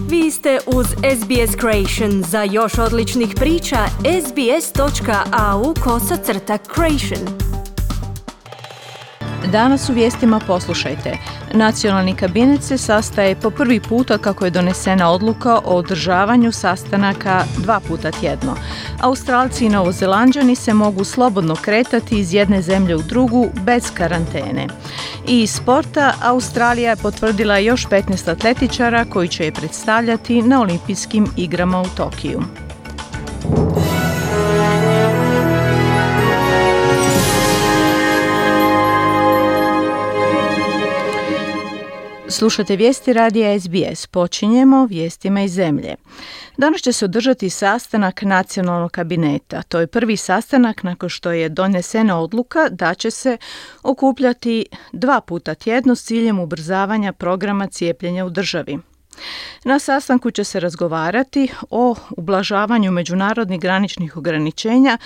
Vi ste uz SBS Creation. Za još odličnih priča, sbs.au/creation. Danas u vijestima poslušajte. Nacionalni kabinet se sastaje po prvi puta kako je donesena odluka o održavanju sastanaka 2 puta tjedno. Australci i Novozelanđani se mogu slobodno kretati iz jedne zemlje u drugu bez karantene. I iz sporta, Australija je potvrdila još 15 atletičara koji će je predstavljati na olimpijskim igrama u Tokiju. Slušate vijesti radija SBS. Počinjemo vijestima iz zemlje. Danas će se održati sastanak nacionalnog kabineta. To je prvi sastanak nakon što je donesena odluka da će se okupljati 2 puta tjedno s ciljem ubrzavanja programa cijepljenja u državi. Na sastanku će se razgovarati o ublažavanju međunarodnih graničnih ograničenja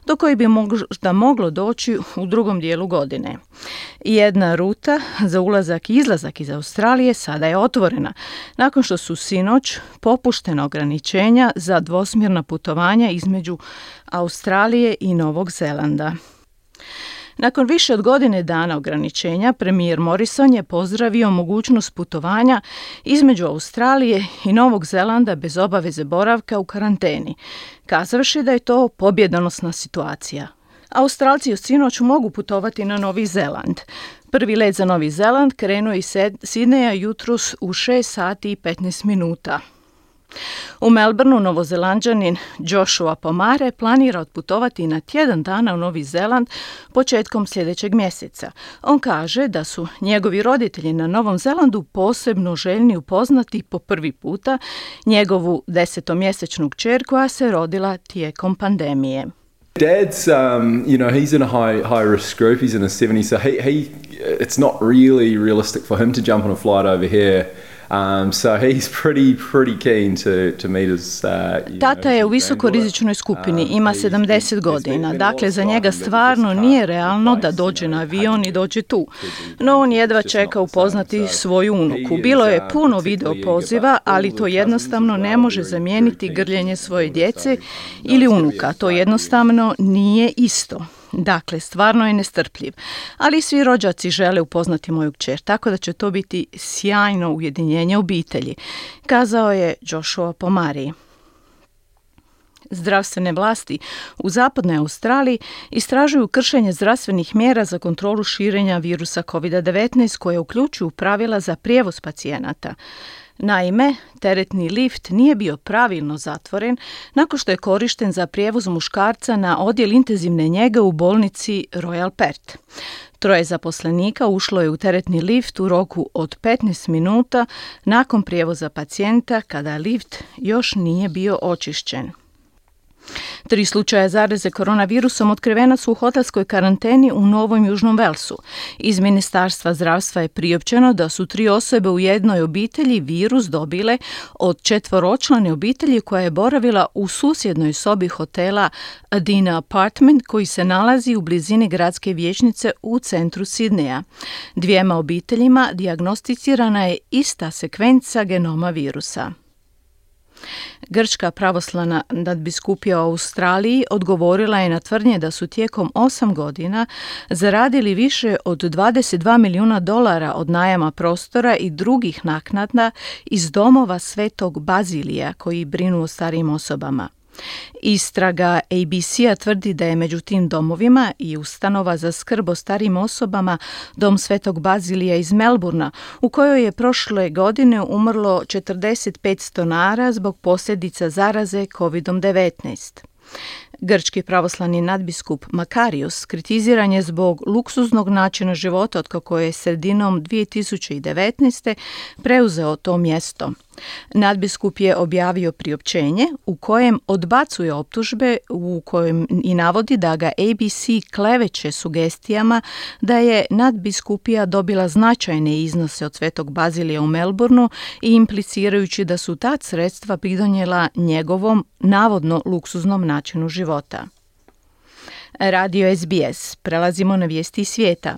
do kojih bi možda moglo doći u drugom dijelu godine. Jedna ruta za ulazak i izlazak iz Australije sada je otvorena, nakon što su sinoć popuštena ograničenja za dvosmjerna putovanja između Australije i Novog Zelanda. Nakon više od godine dana ograničenja, premijer Morrison je pozdravio mogućnost putovanja između Australije i Novog Zelanda bez obaveze boravka u karanteni, kazavši da je to pobjedonosna situacija. Australci od sinoć mogu putovati na Novi Zeland. Prvi let za Novi Zeland krenuo iz Sidneja jutros u 6 sati i 15 minuta. U Melbourneu Novozelanđanin Joshua Pomare planira otputovati na tjedan dana u Novi Zeland početkom sljedećeg mjeseca. On kaže da su njegovi roditelji na Novom Zelandu posebno željni upoznati po prvi puta njegovu 10-mjesečnu kćer koja se rodila tijekom pandemije. Dad's, he's in a high risk group. He's in his 70s, so it's not really realistic for him to jump on a flight over here. So he's pretty keen to meet his. Tata je u visokorizičnoj skupini, ima 70 godina, dakle za njega stvarno nije realno da dođe na avion i dođe tu. No on jedva čeka upoznati svoju unuku. Bilo je puno video poziva, ali to jednostavno ne može zamijeniti grljenje svoje djece ili unuka. To jednostavno nije isto. Dakle, stvarno je nestrpljiv, ali svi rođaci žele upoznati moju kćer, tako da će to biti sjajno ujedinjenje obitelji, kazao je Joshua Pomari. Zdravstvene vlasti u zapadnoj Australiji istražuju kršenje zdravstvenih mjera za kontrolu širenja virusa COVID-19 koje uključuju pravila za prijevoz pacijenata. Naime, teretni lift nije bio pravilno zatvoren nakon što je korišten za prijevoz muškarca na odjel intenzivne njege u bolnici Royal Perth. 3 zaposlenika ušlo je u teretni lift u roku od 15 minuta nakon prijevoza pacijenta kada lift još nije bio očišćen. 3 slučaja zaraze koronavirusom otkrivena su u hotelskoj karanteni u Novom Južnom Velsu. Iz Ministarstva zdravstva je priopćeno da su 3 osobe u jednoj obitelji virus dobile od 4-člane obitelji koja je boravila u susjednoj sobi hotela Adina Apartment koji se nalazi u blizini gradske vijećnice u centru Sidneja. 2 obiteljima dijagnosticirana je ista sekvenca genoma virusa. Grčka pravoslavna nadbiskupija u Australiji odgovorila je na tvrdnje da su tijekom 8 godina zaradili više od $22 milijuna od najama prostora i drugih naknada iz domova Svetog Bazilija koji brinu o starijim osobama. Istraga ABC-a tvrdi da je među tim domovima i ustanova za skrb o starijim osobama Dom Svetog Bazilija iz Melbournea, u kojoj je prošle godine umrlo 45 stonara zbog posljedica zaraze COVID-19. Grčki pravoslavni nadbiskup Makarios kritiziran je zbog luksuznog načina života otkako je sredinom 2019. preuzeo to mjesto. Nadbiskup je objavio priopćenje u kojem odbacuje optužbe u kojem i navodi da ga ABC kleveće sugestijama da je nadbiskupija dobila značajne iznose od Svetog Bazilija u Melbourneu i implicirajući da su ta sredstva pridonijela njegovom navodno luksuznom načinu života. Radio SBS. Prelazimo na vijesti iz svijeta.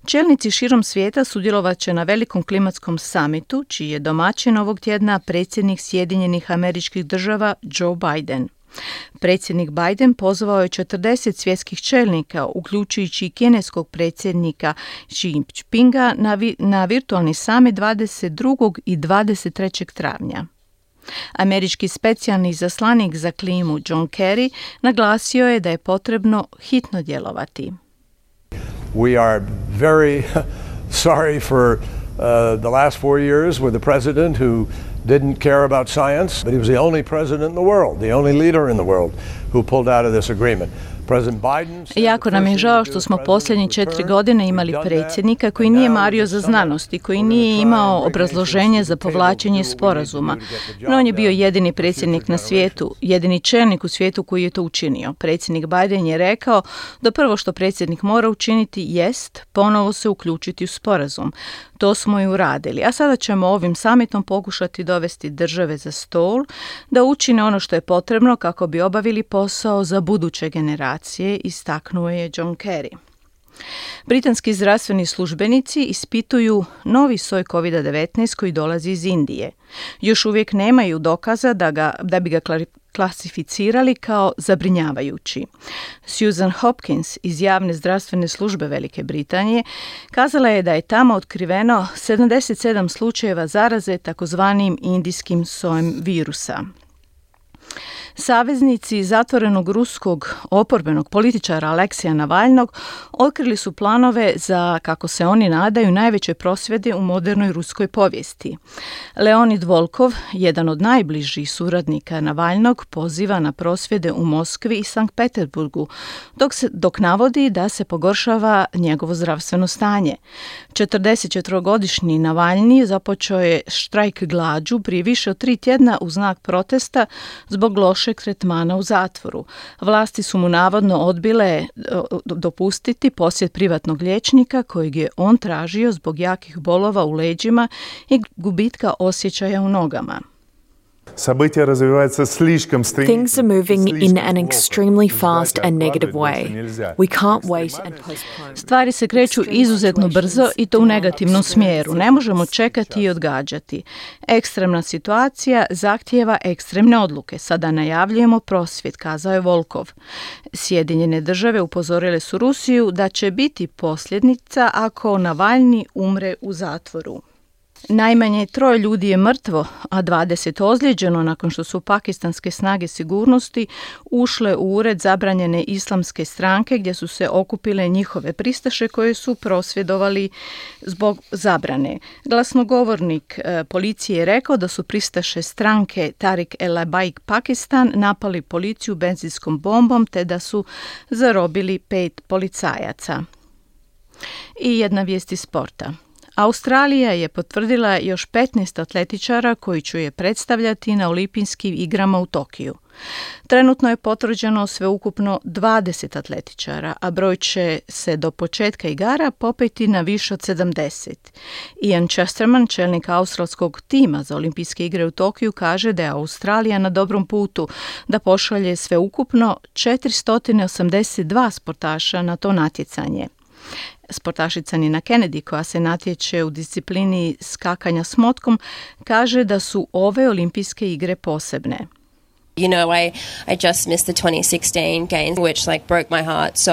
Čelnici širom svijeta sudjelovat će na velikom klimatskom samitu, čiji je domaćin ovog tjedna predsjednik Sjedinjenih Američkih Država Joe Biden. Predsjednik Biden pozvao je 40 svjetskih čelnika, uključujući i kineskog predsjednika Xi Jinpinga, na virtualni summit 22. i 23. travnja. Američki specijalni izaslanik za klimu John Kerry naglasio je da je potrebno hitno djelovati. We are very sorry for the last 4 years with a president who didn't care about science, but he was the only president in the world, the only leader in the world who pulled out of this agreement. Jako nam je žao što smo posljednje 4 godine imali predsjednika koji nije mario za znanost i koji nije imao obrazloženje za povlačenje sporazuma. No on je bio jedini predsjednik na svijetu, jedini čelnik u svijetu koji je to učinio. Predsjednik Biden je rekao da prvo što predsjednik mora učiniti jest ponovo se uključiti u sporazum. To smo i uradili, a sada ćemo ovim summitom pokušati dovesti države za stol da učine ono što je potrebno kako bi obavili posao za buduće generacije, istaknuo je John Kerry. Britanski zdravstveni službenici ispituju novi soj COVID-19 koji dolazi iz Indije. Još uvijek nemaju dokaza da bi ga klasificirali kao zabrinjavajući. Susan Hopkins iz javne zdravstvene službe Velike Britanije kazala je da je tamo otkriveno 77 slučajeva zaraze takozvanim indijskim sojem virusa. Saveznici zatvorenog ruskog oporbenog političara Aleksija Navalnog otkrili su planove za, kako se oni nadaju, najveće prosvjede u modernoj ruskoj povijesti. Leonid Volkov, jedan od najbližih suradnika Navalnog, poziva na prosvjede u Moskvi i Sankt Peterburgu, dok navodi da se pogoršava njegovo zdravstveno stanje. 44-godišnji Navalni započeo je štrajk glađu prije više od 3 tjedna u znak protesta zbog lošeg tretmana u zatvoru. Vlasti su mu navodno odbile dopustiti posjet privatnog liječnika kojeg je on tražio zbog jakih bolova u leđima i gubitka osjećaja u nogama. Things are moving in an extremely fast and negative way. We can't wait and postpone. Stvari se kreću izuzetno brzo i to u negativnom smjeru. Ne možemo čekati i odgađati. Ekstremna situacija zahtijeva ekstremne odluke. Sada najavljujemo prosvjed, kazao je Volkov. Sjedinjene države upozorile su Rusiju da će biti posljedica ako Navalni umre u zatvoru. Najmanje 3 ljudi je mrtvo, a 20 ozlijeđeno nakon što su pakistanske snage sigurnosti ušle u ured zabranjene islamske stranke gdje su se okupile njihove pristaše koje su prosvjedovali zbog zabrane. Glasnogovornik policije je rekao da su pristaše stranke Tariq el-Labaik Pakistan napali policiju benzinskom bombom te da su zarobili 5 policajaca. I jedna vijest iz sporta. Australija je potvrdila još 15 atletičara koji će je predstavljati na olimpijskim igrama u Tokiju. Trenutno je potvrđeno sveukupno 20 atletičara, a broj će se do početka igara popeti na više od 70. Ian Chesterman, čelnik australskog tima za olimpijske igre u Tokiju, kaže da je Australija na dobrom putu da pošalje sveukupno 482 sportaša na to natjecanje. Sportašica Nina Kennedy, koja se natječe u disciplini skakanja s motkom, kaže da su ove olimpijske igre posebne. You know, I just missed the 2016 games, which broke my heart. So,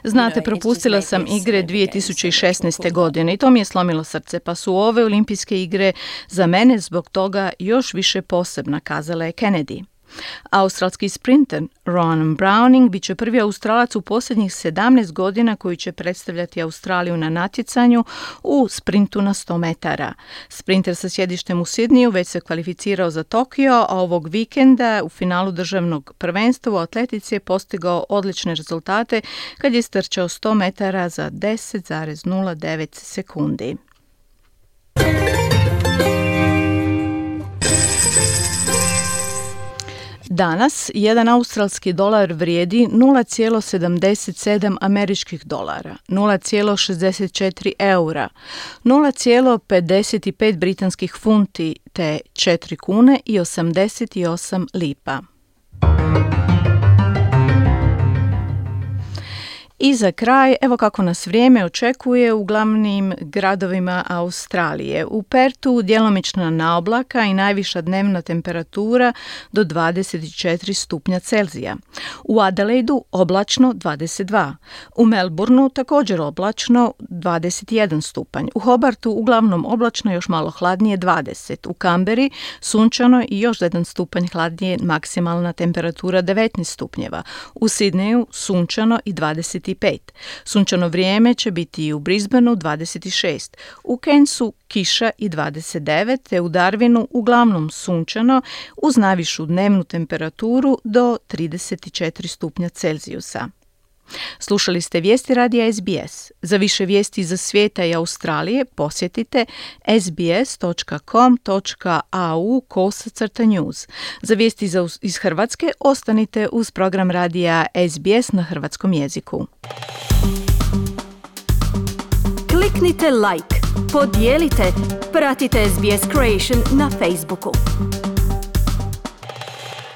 znate, propustila sam igre 2016. godine i to mi je slomilo srce, pa su ove olimpijske igre za mene zbog toga još više posebna, kazala je Kennedy. Australski sprinter Rowan Browning bit će prvi Australac u posljednjih 17 godina koji će predstavljati Australiju na natjecanju u sprintu na 100 metara. Sprinter sa sjedištem u Sidniju već se kvalificirao za Tokio, a ovog vikenda u finalu državnog prvenstva u atletici je postigao odlične rezultate kad je strčao 100 metara za 10,09 sekundi. Danas jedan australski dolar vrijedi 0,77 američkih dolara, 0,64 eura, 0,55 britanskih funti te 4 kune i 88 lipa. I za kraj, evo kako nas vrijeme očekuje u glavnim gradovima Australije. U Pertu djelomična naoblaka i najviša dnevna temperatura do 24 stupnja Celzija. U Adelaidu oblačno 22. U Melbourneu također oblačno 21 stupanj. U Hobartu uglavnom oblačno, još malo hladnije 20. U Kamberi sunčano i još 1 stupanj hladnije, maksimalna temperatura 19 stupnjeva. U Sidneju sunčano i 25. Sunčano vrijeme će biti i u Brisbaneu 26. U Cairnsu kiša i 29, te u Darwinu uglavnom sunčano uz najvišu dnevnu temperaturu do 34 stupnja Celzijusa. Slušali ste vijesti radija SBS. Za više vijesti za svijeta i Australije posjetite sbs.com.au/news. Za vijesti iz Hrvatske ostanite uz program radija SBS na hrvatskom jeziku. Kliknite like, podijelite, pratite SBS Creation na Facebooku.